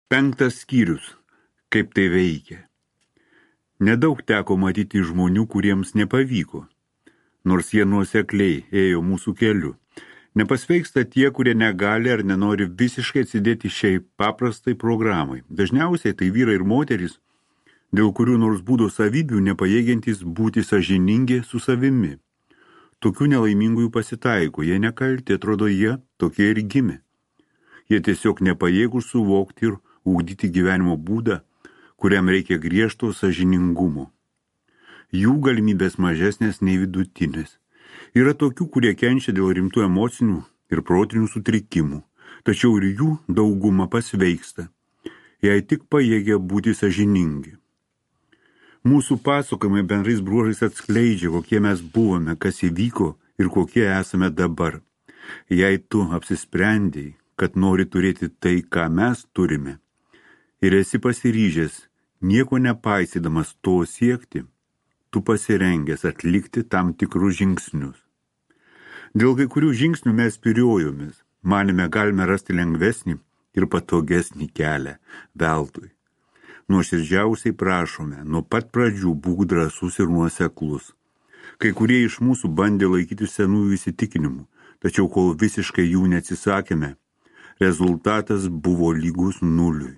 5 skyrius. Kaip tai veikia. Nedaug teko matyti žmonių, kuriems nepavyko, nors jie nuosekliai ėjo mūsų keliu. Nepasveiksta tie, kurie negali ar nenori visiškai atsidėti šiai paprastai programai. Dažniausiai tai vyrai ir moterys, dėl kurių nors būdo savybių nepajėgiantys būti sąžiningi su savimi. Tokių nelaimingųjų pasitaiko, jie nekalti, atrodo jie tokie ir gimė. Jie tiesiog nepajėgūs suvokti ir ugdyti gyvenimo būdą, kuriam reikia griežto sąžiningumo. Jų galimybės mažesnės nei vidutinės. Yra tokių, kurie kenčia dėl rimtų emocinių ir protinių sutrikimų, tačiau ir jų dauguma pasveiksta, jei tik pajėgia būti sąžiningi. Mūsų pasakojimai bendrais bruožais atskleidžia, kokie mes buvome, kas įvyko ir kokie esame dabar. Jei tu apsisprendėjai, kad nori turėti tai, ką mes turime, ir esi pasiryžęs, nieko nepaisydamas to siekti, tu pasirengęs atlikti tam tikrus žingsnius. Dėl kai kurių žingsnių mes spyriojomės, manėme galime rasti lengvesnį ir patogesnį kelią veltui. Nuoširdžiausiai prašome, nuo pat pradžių būk drąsus ir nuoseklus. Kai kurie iš mūsų bandė laikyti senųjų įsitikinimų, tačiau kol visiškai jų neatsisakėme, rezultatas buvo lygus nuliui.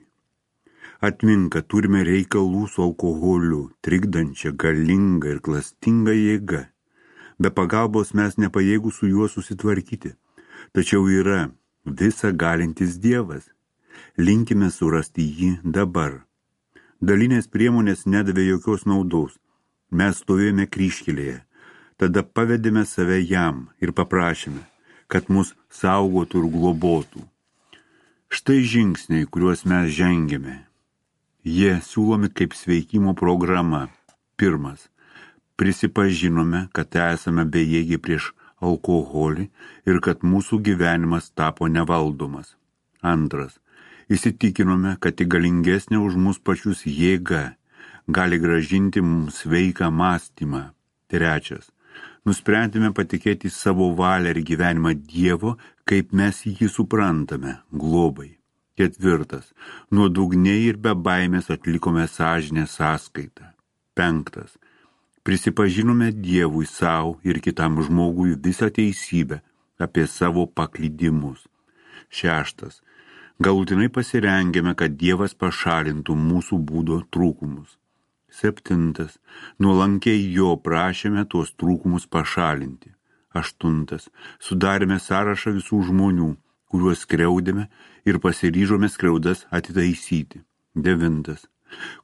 Atmink, kad turime reikalų su alkoholiu, trikdančia, galinga ir klastinga jėga. Be pagalbos mes nepajėgūs su juo susitvarkyti. Tačiau yra visa galintis Dievas. Linkime surasti jį dabar. Dalinės priemonės nedavė jokios naudos. Mes stovėjome kryžkelėje. Tada pavedėme save jam ir paprašėme, kad mus saugotų ir globotų. Štai žingsniai, kuriuos mes žengėme. Jie siūlomi kaip sveikimo programa. 1. Prisipažinome, kad esame bejėgiai prieš alkoholį ir kad mūsų gyvenimas tapo nevaldomas. 2. Įsitikinome, kad tik galingesnė už mus pačius jėga gali gražinti mums sveiką mąstymą. 3. Nusprendėme patikėti savo valią ir gyvenimą Dievo, kaip mes jį suprantame, globai. 4. Nuodugniai ir be baimės atlikome sąžinę sąskaitą. 5. Prisipažinome Dievui savo ir kitam žmogui visą teisybę apie savo paklydimus. 6. Galutinai pasirengėme, kad Dievas pašalintų mūsų būdo trūkumus. 7. Nuolankiai jo prašėme tuos trūkumus pašalinti. 8. Sudarėme sąrašą visų žmonių, kuriuos skriaudėme ir pasiryžome skriaudas atitaisyti. 9.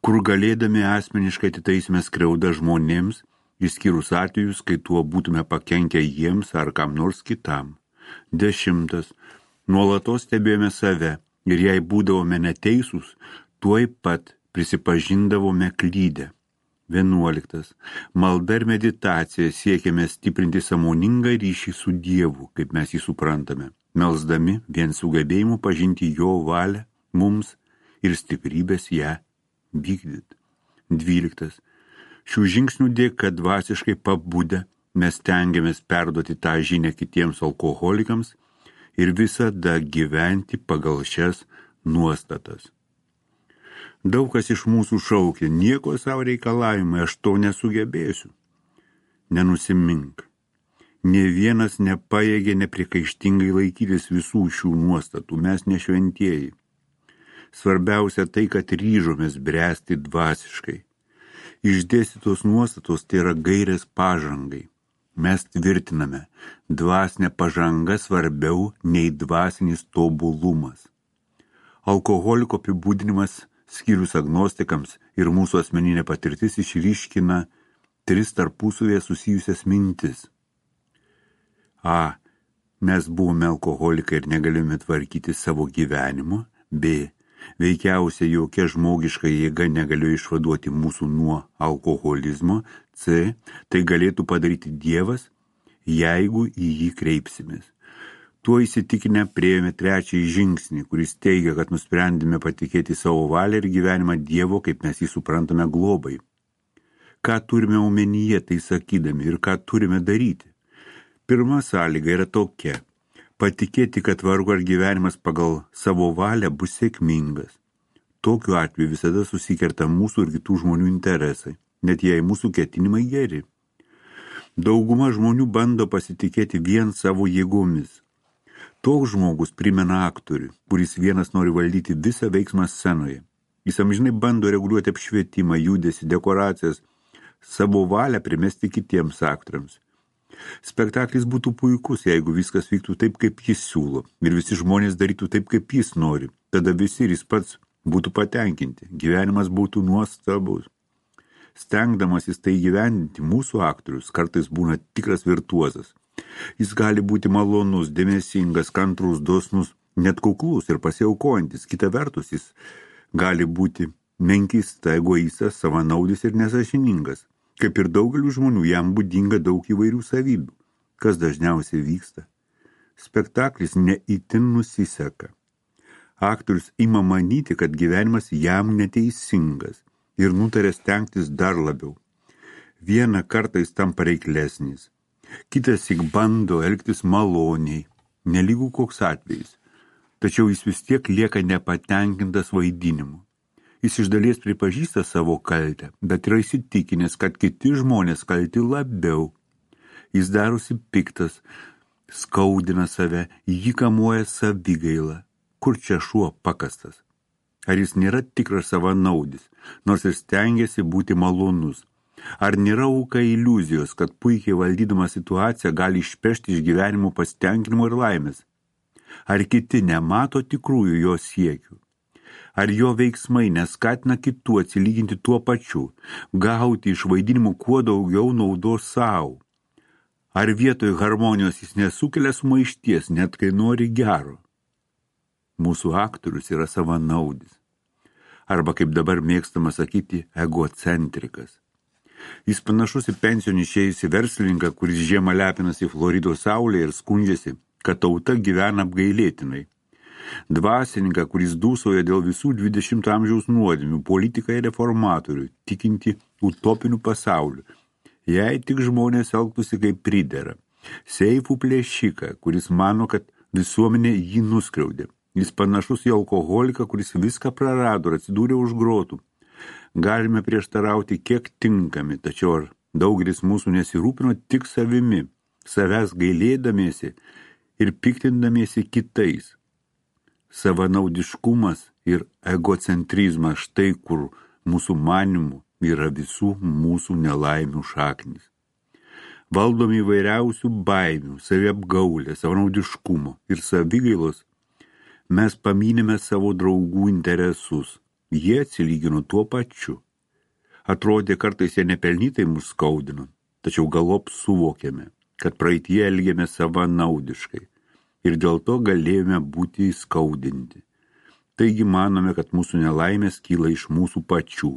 Kur galėdami asmeniškai atitaisime skriaudą žmonėms, išskyrus atvejus, kai tuo būtume pakenkę jiems ar kam nors kitam. 10. Nuolatos stebėjome save ir jei būdavome neteisūs, tuoj pat prisipažindavome klydę. 11. Malda ir meditacija siekėme stiprinti sąmoningą ryšį su Dievu, kaip mes jį suprantame, melsdami vien sugebėjimu pažinti jo valią mums ir stiprybės ją vykdyti. 12. Šių žingsnių dėka dvasiškai pabudę mes stengiamės perduoti tą žinią kitiems alkoholikams ir visada gyventi pagal šias nuostatas. Daug kas iš mūsų šaukia, nieko savo reikalavimai, aš to nesugebėsiu. Nenusimink. Nė vienas nepajėgė nepriekaištingai laikytis visų šių nuostatų, mes nešventieji. Svarbiausia tai, kad ryžomės bręsti dvasiškai. Išdėstytos nuostatos tai yra gairės pažangai. Mes tvirtiname, dvasinė pažanga svarbiau nei dvasinis tobulumas. Alkoholiko apibūdinimas skyrus agnostikams ir mūsų asmeninė patirtis išryškina 3 tarpusavėje susijusias mintis. A. Mes buvome alkoholikai ir negalime tvarkyti savo gyvenimo. B. Veikiausiai jokia žmogiška jėga negalėjo išvaduoti mūsų nuo alkoholizmo. C. Tai galėtų padaryti Dievas, jeigu į jį kreipsimės. Tuo įsitikinę priėjome 3 žingsnį, kuris teigia, kad nusprendėme patikėti savo valią ir gyvenimą Dievo, kaip mes jį suprantame globai. Ką turime omenyje tai sakydami ir ką turime daryti? Pirma sąlyga yra tokia – patikėti, kad vargo ar gyvenimas pagal savo valią bus sėkmingas. Tokiu atveju visada susikerta mūsų ir kitų žmonių interesai, net jei mūsų ketinimai geri. Dauguma žmonių bando pasitikėti vien savo jėgomis. Toks žmogus primena aktorių, kuris vienas nori valdyti visą veiksmą scenoje. Jis amžinai bando reguliuoti apšvietimą, judesį, dekoracijas, savo valią primesti kitiems aktoriams. Spektaklis būtų puikus, jeigu viskas vyktų taip, kaip jis siūlo, ir visi žmonės darytų taip, kaip jis nori. Tada visi ir jis pats būtų patenkinti, gyvenimas būtų nuostabus. Stengdamasis tai gyvendinti, mūsų aktorius kartais būna tikras virtuozas. Jis gali būti malonus, dėmesingas, kantrus, dosnus, net kuklus ir pasiaukojantis. Kita vertus, jis gali būti menkista, egoistas, savanaudis ir nesąžiningas. Kaip ir daugelių žmonių, jam būdinga daug įvairių savybių. Kas dažniausiai vyksta? Spektaklis neįtin nusiseka. Aktorius ima manyti, kad gyvenimas jam neteisingas ir nutarė stengtis dar labiau. Vieną kartą jis tampa reiklesnis, kitas tik bando elgtis maloniai, nelygų koks atvejis, tačiau jis vis tiek lieka nepatenkintas vaidinimu. Jis iš dalies pripažįsta savo kaltę, bet yra įsitikinęs, kad kiti žmonės kalti labiau. Jis darosi piktas, skaudina save, jį kamuoja savigaila. Kur čia šuo pakastas? Ar jis nėra tikras savanaudis, nors ir stengiasi būti malonus? Ar nėra auka iliuzijos, kad puikiai valdydama situaciją gali išpešti iš gyvenimo pasitenkinimo ir laimės? Ar kiti nemato tikrųjų jo siekių? Ar jo veiksmai neskatina kitų atsilyginti tuo pačiu, gauti iš vaidinimų kuo daugiau naudos savo? Ar vietoj harmonijos jis nesukelia sumaišties, net kai nori gero? Mūsų aktorius yra savanaudis. Arba, kaip dabar mėgstama sakyti, egocentrikas. Jis panašus į pensijon išėjusį verslininką, kuris žiemą lepinasi Floridos saulėje ir skundžiasi, kad tauta gyvena apgailėtinai. Dvasininką, kuris dūsauja dėl visų 20 amžiaus nuodėmių, politiką ir reformatorių, tikinti utopinių pasaulių. Jei tik žmonės elgtųsi kaip pridera. Seifų plėšiką, kuris mano, kad visuomenė jį nuskriaudė. Jis panašus į alkoholiką, kuris viską prarado ir atsidūrė už grotų. Galime prieštarauti kiek tinkami, tačiau ar daugelis mūsų nesirūpino tik savimi, savęs gailėdamiesi ir piktindamiesi kitais. Savanaudiškumas ir egocentrizmas štai kur mūsų manimų yra visų mūsų nelaimių šaknis. Valdomi įvairiausių baimių, saviapgaulės, savanaudiškumo ir savigailos, mes paminime savo draugų interesus. Jie atsilygino tuo pačiu. Atrodė, kartais jie nepelnytai mus skaudino, tačiau galop suvokėme, kad praeitie elgėme savanaudiškai ir dėl to galėjome būti įskaudinti. Taigi manome, kad mūsų nelaimės kyla iš mūsų pačių.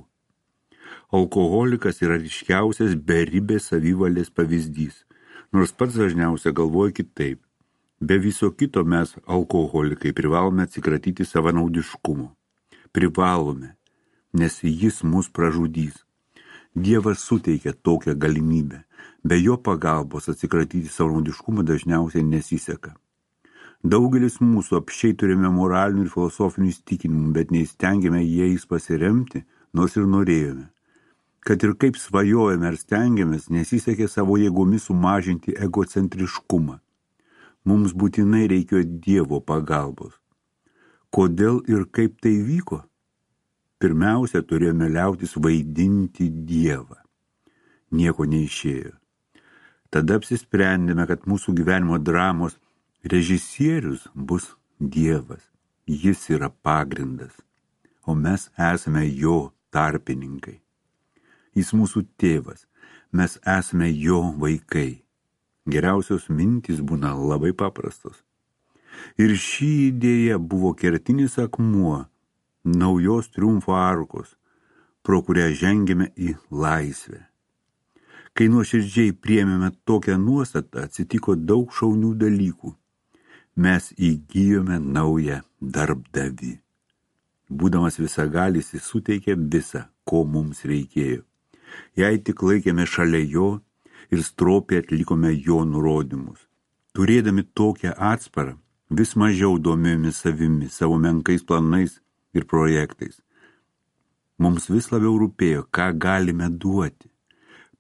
Alkoholikas yra ryškiausias beribės savivalės pavyzdys, nors pats dažniausiai galvoja kitaip. Be viso kito mes, alkoholikai, privalome atsikratyti savanaudiškumo. Privalome, nes jis mus pražudys. Dievas suteikia tokią galimybę. Be jo pagalbos atsikratyti savanaudiškumo dažniausiai nesiseka. Daugelis mūsų apsčiai turime moralinių ir filosofinių įsitikinimų, bet neįstengėme jais pasiremti, nors ir norėjome. Kad ir kaip svajojame ar stengiamės, nesisekė savo jėgomis sumažinti egocentriškumą. Mums būtinai reikėjo Dievo pagalbos. Kodėl ir kaip tai vyko? Pirmiausia, turėjome liautis vaidinti Dievą. Nieko neišėjo. Tada apsisprendėme, kad mūsų gyvenimo dramos režisierius bus Dievas. Jis yra pagrindas, o mes esame jo tarpininkai. Jis mūsų tėvas, mes esame jo vaikai. Geriausios mintys būna labai paprastos. Ir ši idėja buvo kertinis akmuo naujos triumfo arkos, pro kurią žengėme į laisvę. Kai nuoširdžiai priėmėme tokią nuostatą, atsitiko daug šaunių dalykų. Mes įgijome naują darbdavį. Būdamas visagalis, jis suteikė visą, ko mums reikėjo. Jei tik laikėme šalia jo, ir stropiai atlikome jo nurodymus. Turėdami tokią atsparą, vis mažiau domėjomės savimi, savo menkais planais ir projektais. Mums vis labiau rūpėjo, ką galime duoti.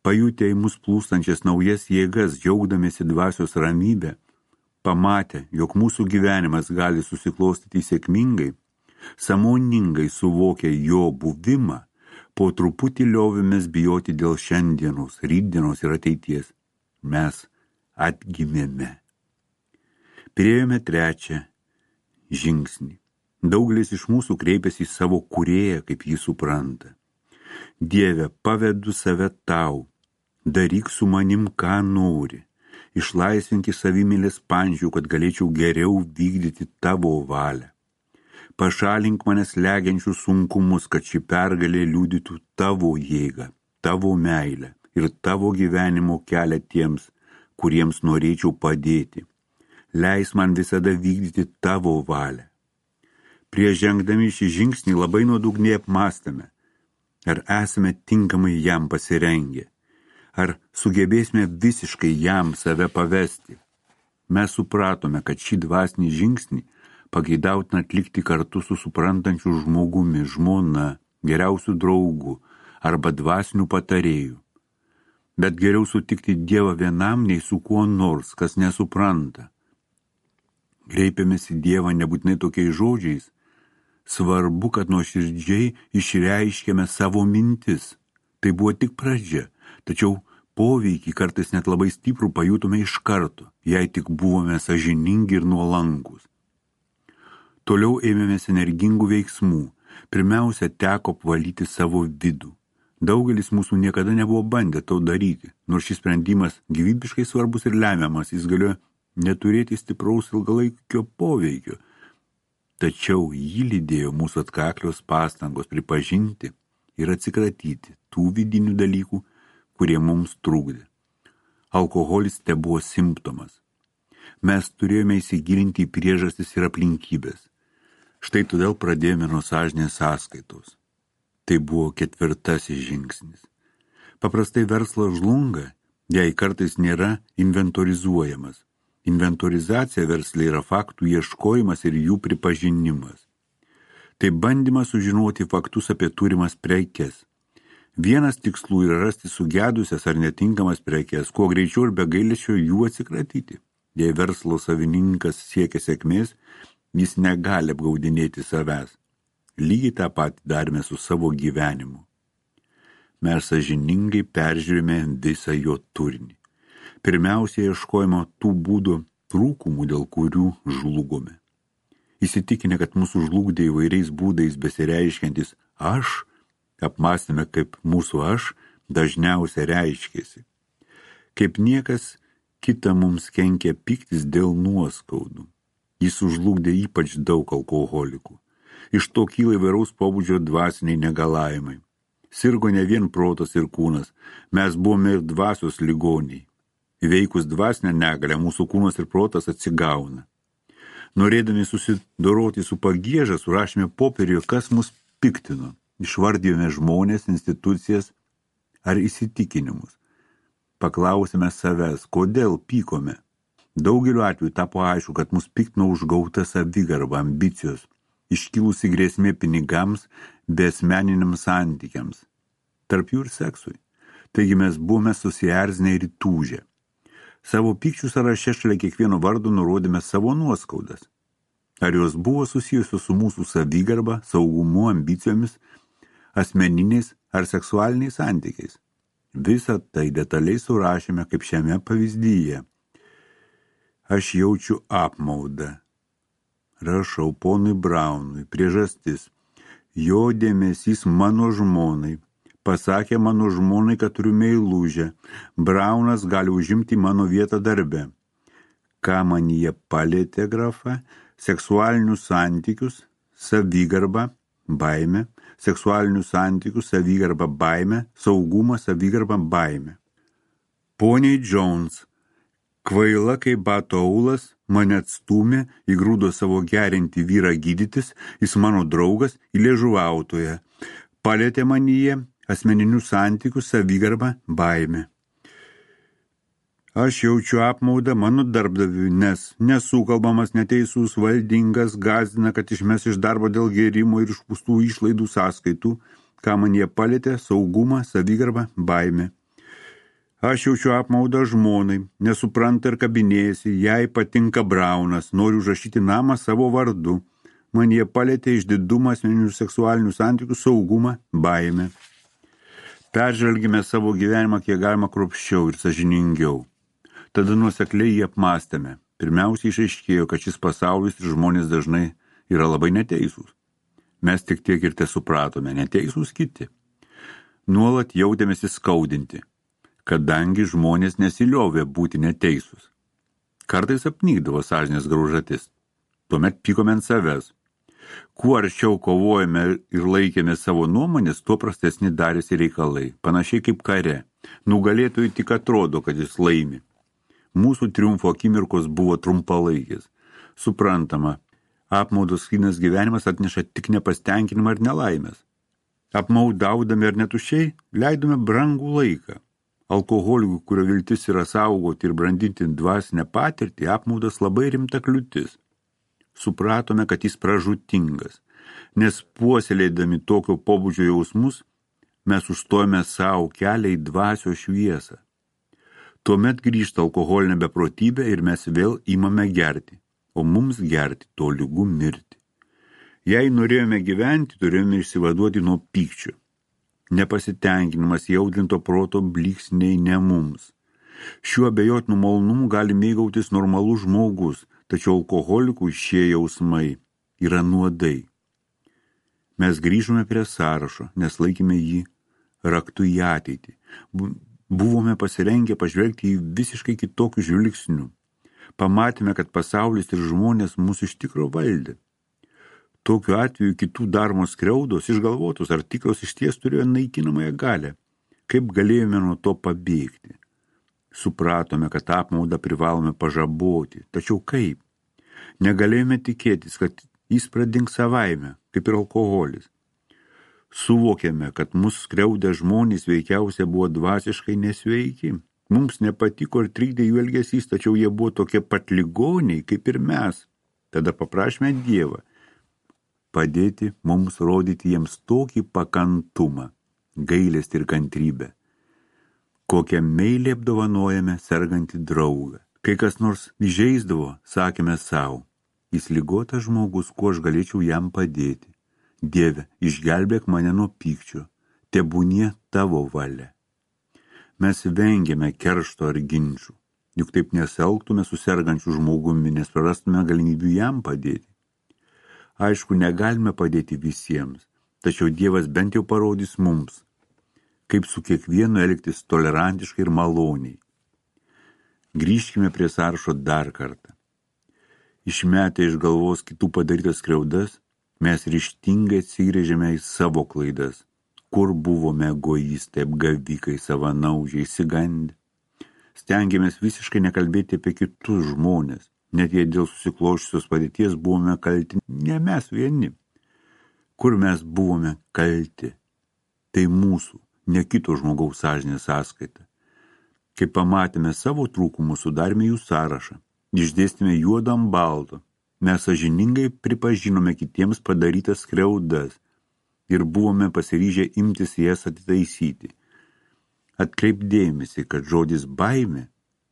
Pajutę į mus plūstančias naujas jėgas, džiaugdamėsi dvasios ramybę, pamatę, jog mūsų gyvenimas gali susiklostyti sėkmingai, sąmoningai suvokę jo buvimą, po truputį liovėmės bijoti dėl šiandienos, rytdienos ir ateities. Mes atgimėme. Priėjome trečią žingsnį. Daugelis iš mūsų kreipėsi į savo kūrėją, kaip jį supranta. Dieve, pavedu save tau, daryk su manim, ką nori, išlaisvink iš savimylės pančių, kad galėčiau geriau vykdyti tavo valią. Pašalink manęs slegiančius sunkumus, kad ši pergalė liudytų tavo jėgą, tavo meilę ir tavo gyvenimo kelią tiems, kuriems norėčiau padėti. Leis man visada vykdyti tavo valią. Prieš žengdami šį žingsnį labai nuodugniai apmąstame, ar esame tinkamai jam pasirengę, ar sugebėsime visiškai jam save pavesti. Mes supratome, kad šį dvasinį žingsnį pageidautina atlikti kartu su suprantančiu žmogumi, žmona, geriausiu draugu arba dvasiniu patarėju. Bet geriau sutikti Dievą vienam, nei su kuo nors, kas nesupranta. Kreipiamės į Dievą nebūtinai tokiais žodžiais. Svarbu, kad nuoširdžiai išreiškėme savo mintis. Tai buvo tik pradžia, tačiau poveikį kartais net labai stiprų pajutome iš karto, jei tik buvome sąžiningi ir nuolankus. Toliau ėmėmės energingų veiksmų. Pirmiausia, teko apvalyti savo vidų. Daugelis mūsų niekada nebuvo bandę to daryti, nors šis sprendimas gyvybiškai svarbus ir lemiamas, jis galėjo neturėti stipraus ilgalaikio poveikio. Tačiau jį lydėjo mūsų atkaklios pastangos pripažinti ir atsikratyti tų vidinių dalykų, kurie mums trukdė. Alkoholis tebuvo simptomas. Mes turėjome įsigilinti į priežastis ir aplinkybės. Štai todėl pradėjome nuo sąžinės sąskaitos. Tai buvo 4. žingsnis. Paprastai verslas žlunga, jei kartais nėra inventorizuojamas. Inventorizacija versle yra faktų ieškojimas ir jų pripažinimas. Tai bandymas sužinoti faktus apie turimas prekes. Vienas tikslų yra rasti sugedusias ar netinkamas prekes, kuo greičiau ir be gailesčio jų atsikratyti. Jei verslo savininkas siekia sėkmės, jis negali apgaudinėti savęs. Lygiai tą patį darėme su savo gyvenimu. Mes sąžiningai peržiūrime visą jo turinį. Pirmiausia, ieškojimo tų būdų trūkumų, dėl kurių žlugome. Įsitikinę, kad mūsų žlugdė įvairiais būdais besireiškiantis aš, apmąstėme, kaip mūsų aš dažniausiai reiškėsi. Kaip niekas kita mums kenkia piktis dėl nuoskaudų. Jis užlugdė ypač daug alkoholikų. Iš to kyla įvairaus pobūdžio dvasiniai negalavimai. Sirgo ne vien protas ir kūnas, mes buvome ir dvasios ligoniai. Įveikus dvasinę negalę, mūsų kūnas ir protas atsigauna. Norėdami susidoroti su pagieža, surašėme popieriuje, kas mus piktino. Išvardijome žmonės, institucijas ar įsitikinimus. Paklausėme savęs, kodėl pykome. Daugeliu atveju tapo aišku, kad mus piktino užgauta savigarba, ambicijos, iškilusi grėsmė pinigams, besmeniniams santykiams. Tarp jų ir seksui. Taigi mes buvome susierzinę ir įtūžę. Savo pykčių sąraše šalia kiekvieno vardo nurodėme savo nuoskaudas. Ar jos buvo susijusios su mūsų savigarba, saugumu, ambicijomis, asmeniniais ar seksualiniais santykiais. Visą tai detaliai surašėme kaip šiame pavyzdyje. Aš jaučiu apmaudą. Rašau ponui Braunui, priežastis. Jo dėmesys mano žmonai. Pasakė mano žmonai, kad turiu meilužę. Braunas gali užimti mano vietą darbe. Ką man jie palietė grafa? Seksualinius santykius, savigarba, baimė, seksualinius santykius, savigarba, baimė, saugumą, savigarba, baimė. Poniai Jones, kvaila kaip bato aulas, mane atstūmė, įgrūdo savo gerinti vyrą gydytis, jis mano draugas, įliežuvautoje. Palietė manyje asmeninius santykius, savigarbą, baimę. Aš jaučiu apmaudą mano darbdaviui, nes nesukalbamas, neteisus, valdingas, gąsdina, kad išmes iš darbo dėl gėrimo ir išpūstų išlaidų sąskaitų, ką man jie palėtė, saugumą, savigarbą, baimę. Aš jaučiu apmaudą žmonai, nesupranta ir kabinėjasi, jai patinka Braunas, noriu užrašyti namą savo vardu. Man jie palėtė išdidumą, asmeninių seksualinių santykių, saugumą, baimę. Peržvelgime savo gyvenimą kiek galima kruopščiau ir sąžiningiau. Tada nuosekliai jį apmąstėme. Pirmiausiai išaiškėjo, kad šis pasaulis ir žmonės dažnai yra labai neteisūs. Mes tik tiek ir supratome, neteisūs kiti. Nuolat jautėmės įskaudinti, kadangi žmonės nesiliovė būti neteisūs. Kartais apnykdavo sąžinės graužatis. Tuomet pykome ant savęs. Kuo arčiau kovojame ir laikėme savo nuomonės, tuo prastesni darėsi reikalai, panašiai kaip kare. Nugalėtojui tik atrodo, kad jis laimi. Mūsų triumfo akimirkos buvo trumpalaikis. Suprantama, apmaudos skynas gyvenimas atneša tik nepastenkinimą ir nelaimės. Apmaudaudami ar netušiai, leidome brangų laiką. Alkoholikų, kurio viltis yra saugoti ir brandinti dvasinę patirtį, apmaudas labai rimta kliūtis. Supratome, kad jis pražūtingas, nes puoselėdami tokio pobūdžio jausmus, mes užstojame savo kelią į dvasios šviesą. Tuomet grįžta alkoholinė beprotybė ir mes vėl imame gerti, o mums gerti tolygu mirti. Jei norėjome gyventi, turėjome išsivaduoti nuo pykčio. Nepasitenkinimas jaudrinto proto blyksniai ne mums. Šiuo abejotinu malonumu gali mėgautis normalus žmogus, tačiau alkoholikų šie jausmai yra nuodai. Mes grįžome prie sąrašo, nes laikėme jį raktu į ateitį. Buvome pasirengę pažvelgti į visiškai kitokių žvilgsnių. Pamatėme, kad pasaulis ir žmonės mūsų iš tikro valdė. Tokiu atveju kitų daromos skriaudos, išgalvotos ar tikros išties turėjo naikinamąją galią. Kaip galėjome nuo to pabėgti? Supratome, kad apmaudą privalome pažaboti. Tačiau kaip? Negalėjome tikėtis, kad jis pradings savaime, kaip ir alkoholis. Suvokėme, kad mus skriaudę žmonės veikiausiai buvo dvasiškai nesveiki. Mums nepatiko ir trikdė jų elgesys, tačiau jie buvo tokie pat ligoniai, kaip ir mes. Tada paprašėme Dievą padėti mums rodyti jiems tokį pakantumą, gailestį ir kantrybę, kokią meilį apdovanojame sergantį draugą. Kai kas nors įžeisdavo, sakėme savo, jis ligotas žmogus, kuo aš galėčiau jam padėti. Dieve, išgelbėk mane nuo pykčio, tebūnie tavo valia. Mes vengėme keršto ar ginčių, juk taip nesielgtume su sergančiu žmogumi, nes prarastume galimybių jam padėti. Aišku, negalime padėti visiems, tačiau Dievas bent jau parodys mums, kaip su kiekvienu elgtis tolerantiškai ir maloniai. Grįžkime prie sąrašo dar kartą. Išmetę iš galvos kitų padarytas skriaudas, mes ryžtingai atsigręžėme į savo klaidas, kur buvome egoistai, apgavikai, savanaudžiai, išsigandę. Stengiamės visiškai nekalbėti apie kitus žmonės, net jei dėl susiklošusios padėties buvome kalti ne mes vieni. Kur mes buvome kalti? Tai mūsų, ne kito žmogaus sąžinės sąskaita. Kai pamatėme savo trūkumus, sudarėme jų sąrašą, išdėstėme juodą ant balto. Mes sąžiningai pripažinome kitiems padarytas skriaudas ir buvome pasiryžę imtis jas atitaisyti. Atkreip dėmesį, kad žodis baimė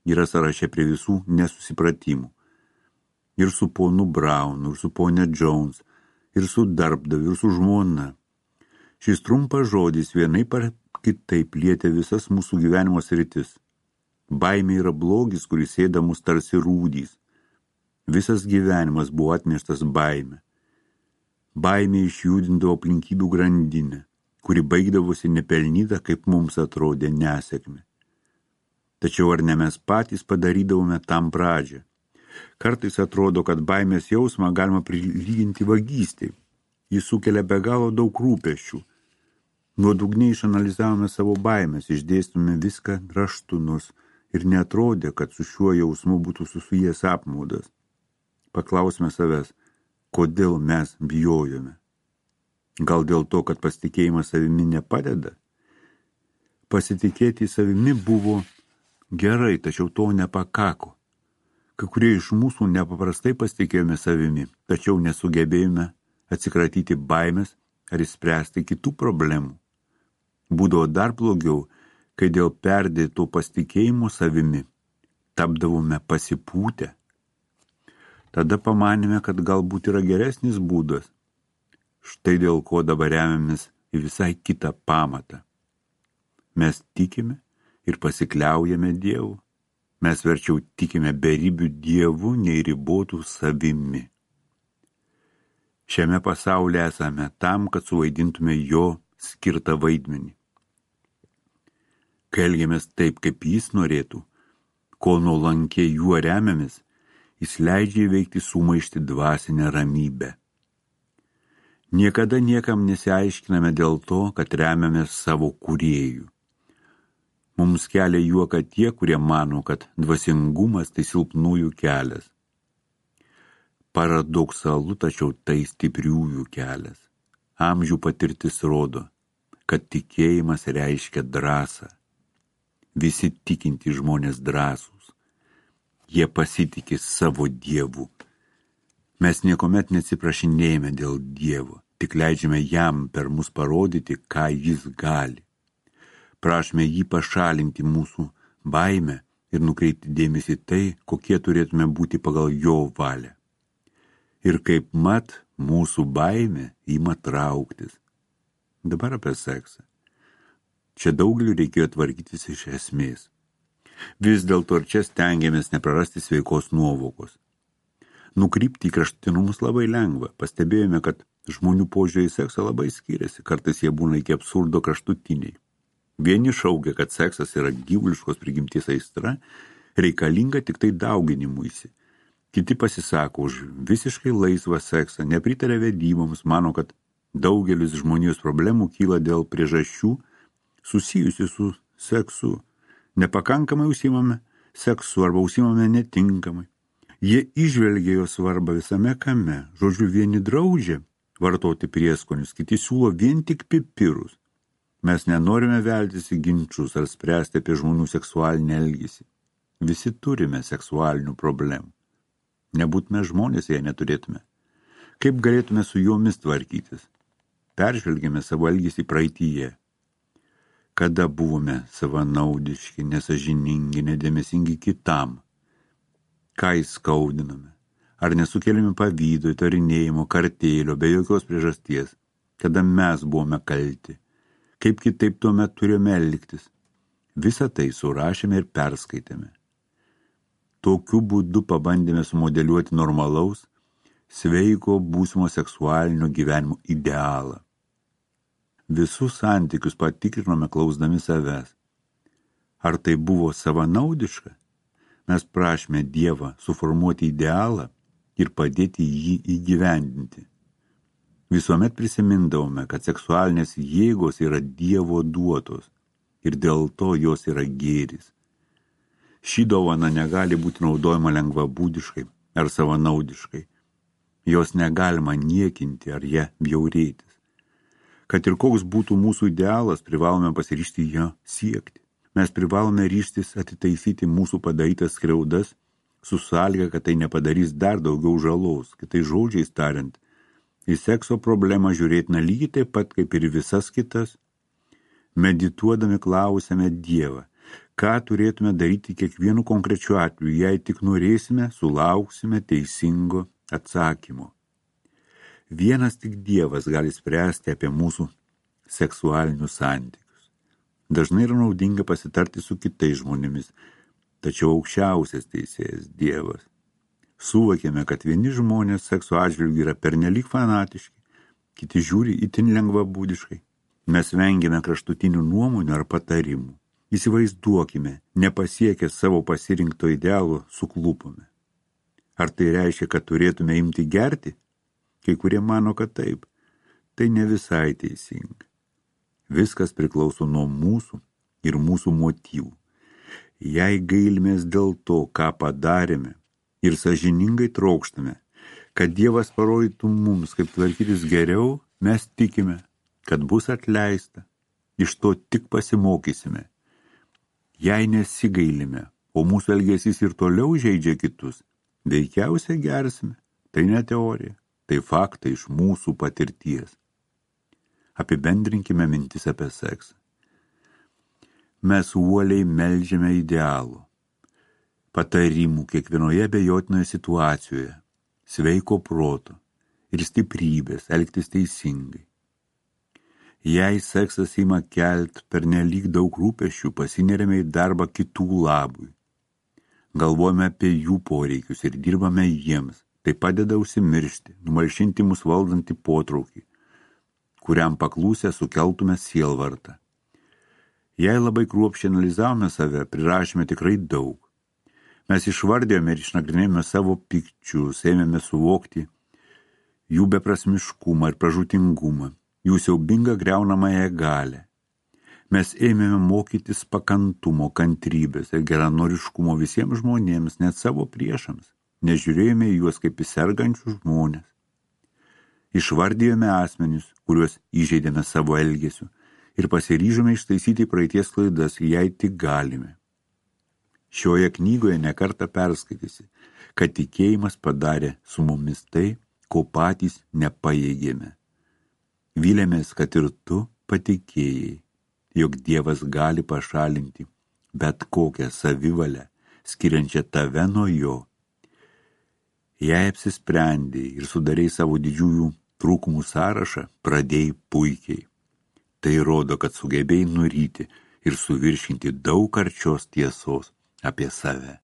yra sąraše prie visų nesusipratimų. Ir su ponu Braunu, ir su ponia Jones, ir su darbdaviu, ir su žmona. Šis trumpas žodis vienaip ar kitaip lietė visas mūsų gyvenimo sritis. Baimė yra blogis, kuris ėda mus tarsi rūdys. Visas gyvenimas buvo atneštas baime. Baimė išjudindavo aplinkybių grandinę, kuri baigdavosi nepelnyta, kaip mums atrodė, nesėkmė. Tačiau ar ne mes patys padarydavome tam pradžią? Kartais atrodo, kad baimės jausmą galima prilyginti vagystei. Jis sukelia be galo daug rūpesčių. Nuodugniai išanalizavome savo baimės, išdėstome viską raštu, nors ir neatrodė, kad su šiuo jausmu būtų susijęs apmaudas. Paklausime savęs, kodėl mes bijojome. Gal dėl to, kad pasitikėjimas savimi nepadeda? Pasitikėti savimi buvo gerai, tačiau to nepakako. Kai kurie iš mūsų nepaprastai pasitikėjome savimi, tačiau nesugebėjome atsikratyti baimės ar išspręsti kitų problemų. Būdavo dar blogiau, kai dėl perdėto pasitikėjimo savimi tapdavome pasipūtę. Tada pamanėme, kad galbūt yra geresnis būdas. Štai dėl ko dabar remiamės į visai kitą pamatą. Mes tikime ir pasikliaujame Dievu. Mes verčiau tikime beribių Dievu, nei ribotų savimi. Šiame pasaulyje esame tam, kad suvaidintume jo skirtą vaidmenį. Kai elgiamės taip, kaip jis norėtų, kol nuolankiai juo remiamės, jis leidžia įveikti sumaištį dvasinę ramybę. Niekada niekam nesiaiškiname dėl to, kad remiamės savo kūrėjų. Mums kelia juoką tie, kurie mano, kad dvasingumas tai silpnųjų kelias. Paradoksalu, tačiau tai stipriųjų kelias. Amžių patirtis rodo, kad tikėjimas reiškia drąsą. Visi tikintys žmonės drąsūs. Jie pasitikė savo Dievu. Mes niekuomet neatsiprašinėjame dėl Dievo, tik leidžiame jam per mus parodyti, ką jis gali. Prašome jį pašalinti mūsų baimę ir nukreipti dėmesį tai, kokie turėtume būti pagal jo valią. Ir kaip mat, mūsų baimė ima trauktis. Dabar apie seksą. Čia daugeliu reikėjo tvarkytis iš esmės. Vis dėlto ir čia stengiamės neprarasti sveikos nuovokos. Nukrypti į kraštutinumus labai lengva. Pastebėjome, kad žmonių požiūriai į seksą labai skiriasi. Kartais jie būna iki absurdo kraštutiniai. Vieni šaukia, kad seksas yra gyvuliškos prigimties aistra, reikalinga tik tai dauginimuisi. Kiti pasisako už visiškai laisvą seksą, nepritaria vedyboms, mano, kad daugelis žmonijos problemų kyla dėl priežasčių susijusių su seksu. Nepakankamai užsiimame seksu arba užsiimame netinkamai. Jie įžvelgia jo svarbą visame kame. Žodžiu, vieni draudžia vartoti prieskonius, kiti siūlo vien tik pipirus. Mes nenorime veltis į ginčus ar spręsti apie žmonių seksualinį elgesį. Visi turime seksualinių problemų. Nebūtume žmonės, jei neturėtume. Kaip galėtume su jomis tvarkytis? Peržvelgėme savo elgesį praeityje. Kada buvome savanaudiški, nesažiningi, nedėmesingi kitam? Ką įskaudinome? Ar nesukėlėme pavydo, įtarinėjimo, kartėlio, be jokios priežasties? Kada mes buvome kalti? Kaip kitaip tuomet turėjome elgtis? Visą tai surašėme ir perskaitėme. Tokiu būdu pabandėme sumodeliuoti normalaus, sveiko būsimo seksualinio gyvenimo idealą. Visus santykius patikrinome klausdami savęs. Ar tai buvo savanaudiška? Mes prašėme Dievą suformuoti idealą ir padėti jį įgyvendinti. Visuomet prisimindavome, kad seksualinės jėgos yra Dievo duotos ir dėl to jos yra gėris. Ši dovana negali būti naudojama lengvabūdiškai ar savanaudiškai. Jos negalima niekinti ar ją bjaurėtis. Kad ir koks būtų mūsų idealas, privalome pasiryžti jo siekti. Mes privalome ryžtis atitaisyti mūsų padarytas skriaudas su sąlyga, kad tai nepadarys dar daugiau žalos. Kitais žodžiais tariant, į sekso problemą žiūrėtina lygiai taip pat kaip ir visas kitas. Medituodami klausiame Dievą, ką turėtume daryti kiekvienu konkrečiu atveju, jei tik norėsime, sulauksime teisingo atsakymo. Vienas tik Dievas gali spręsti apie mūsų seksualinius santykius. Dažnai yra naudinga pasitarti su kitais žmonėmis, tačiau aukščiausias teisėjas Dievas. Suvokėme, kad vieni žmonės sekso atžvilgiu yra pernelyg fanatiški, kiti žiūri itin lengvabūdiškai. Mes vengiame kraštutinių nuomonių ar patarimų. Įsivaizduokime, nepasiekę savo pasirinkto idealo, suklupome. Ar tai reiškia, kad turėtume imti gerti? Kai kurie mano, kad taip. Tai ne visai teisinga. Viskas priklauso nuo mūsų ir mūsų motyvų. Jei gailimės dėl to, ką padarėme, ir sąžiningai trokštame, kad Dievas parodytų mums, kaip tvarkytis geriau, mes tikime, kad bus atleista. Iš to tik pasimokysime. Jei nesigailime, o mūsų elgesys ir toliau žeidžia kitus, veikiausiai gersime. Tai ne teorija, tai faktai iš mūsų patirties. Apibendrinkime mintis apie seksą. Mes uoliai meldžiame idealų, patarimų kiekvienoje abejotinoje situacijoje, sveiko proto ir stiprybės elgtis teisingai. Jei seksas ima kelt pernelyg daug rūpesčių, pasineriame į darbą kitų labui. Galvojame apie jų poreikius ir dirbame jiems. Tai padeda užsimiršti, numalšinti mus valdantį potraukį, kuriam paklūsę sukeltume sielvartą. Jei labai kruopščiai analizavome save, prirašėme tikrai daug. Mes išvardėjome ir išnagrinėjome savo pykčius, ėmėme suvokti jų beprasmiškumą ir pražūtingumą, jų siaubingą griaunamąją galią. Mes ėmėme mokytis pakantumo, kantrybės ir geranoriškumo visiems žmonėms, net savo priešams. Nežiūrėjome į juos kaip į sergančius žmonės. Išvardėjome asmenis, kuriuos įžeidėme savo elgesiu ir pasiryžome ištaisyti praeities klaidas, jei tik galime. Šioje knygoje nekartą perskaitysi, kad tikėjimas padarė su mumis tai, ko patys nepajėgėme. Vylėmės, kad ir tu patikėjai, jog Dievas gali pašalinti bet kokią savivalę, skiriančią tave nuo jo. Jei apsisprendėjai ir sudarei savo didžiųjų trūkumų sąrašą, pradėjai puikiai. Tai rodo, kad sugebėjai nuryti ir suviršinti daug karčios tiesos apie save.